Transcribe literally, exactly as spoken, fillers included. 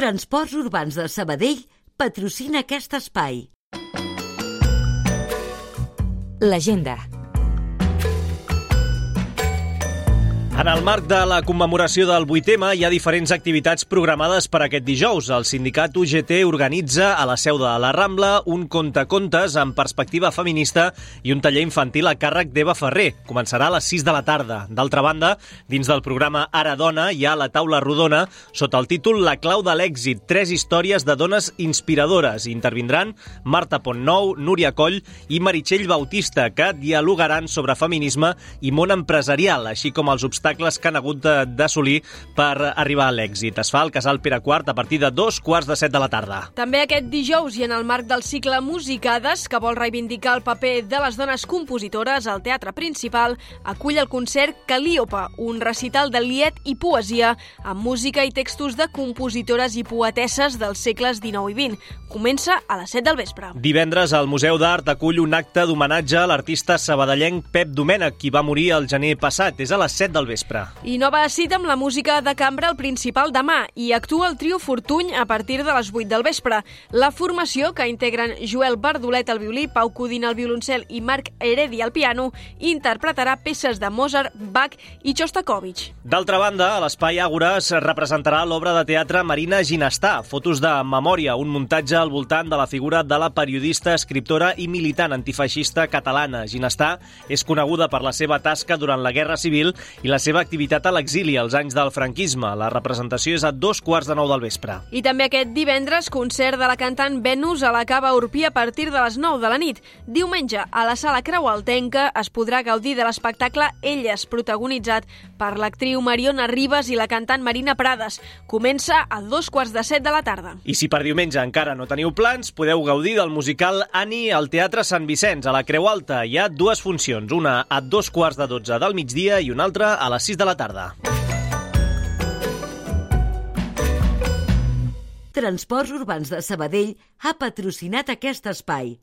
Transports Urbans de Sabadell patrocina aquest espai. L'agenda. En el marc de la commemoració del vuit eme hi ha diferents activitats programades per aquest dijous. El sindicat U G T organitza a la seu de la Rambla un contacontes amb perspectiva feminista i un taller infantil a càrrec d'Eva Ferrer. Començarà a les sis de la tarda. D'altra banda, dins del programa Ara Dona hi ha la taula rodona sota el títol La clau de l'èxit, tres històries de dones inspiradores. Intervindran Marta Pontnou, Núria Coll i Meritxell Bautista, que dialogaran sobre feminisme i món empresarial, així com els obstacles que han hagut d'assolir per arribar a l'èxit. Es fa al Casal Pere quart a partir de dos quarts de set de la tarda. També aquest dijous i en el marc del cicle Musicades, que vol reivindicar el paper de les dones compositores, el Teatre Principal acull el concert Calíope, un recital de lied i poesia amb música i textos de compositores i poetesses dels segles dinou i vint. Comença a les set del vespre. Divendres el Museu d'Art acull un acte d'homenatge a l'artista sabadellenc Pep Domènech, qui va morir el gener passat. És a les set del vespre. I nova cita amb la música de cambra al Principal demà i actua el trio Fortuny a partir de les vuit del vespre. La formació, que integren Joel Bardolet al violí, Pau Codina al violoncel i Marc Heredi al piano, interpretarà peces de Mozart, Bach i Shostakovich. D'altra banda, a l'Espai Àgora es representarà l'obra de teatre Marina Ginestà, fotos de memòria, un muntatge al voltant de la figura de la periodista, escriptora i militant antifeixista catalana. Ginestà és coneguda per la seva tasca durant la Guerra Civil i la seva activitat a l'exili als anys del franquisme. La representació és a dos quarts de nou del vespre. I també aquest divendres, concert de la cantant Venus a la Cava Urpí a partir de les nou de la nit. Diumenge, a la Sala Creualtenca es podrà gaudir de l'espectacle Elles, protagonitzat per l'actriu Mariona Ribas i la cantant Marina Prades. Comença a dos quarts de set de la tarda. I si per diumenge encara no teniu plans, podeu gaudir del musical Annie al Teatre Sant Vicenç, a la Creu Alta. Hi ha dues funcions, una a dos quarts de dotze del migdia i una altra a les sis de la tarda. Transports Urbans de Sabadell ha patrocinat aquest espai.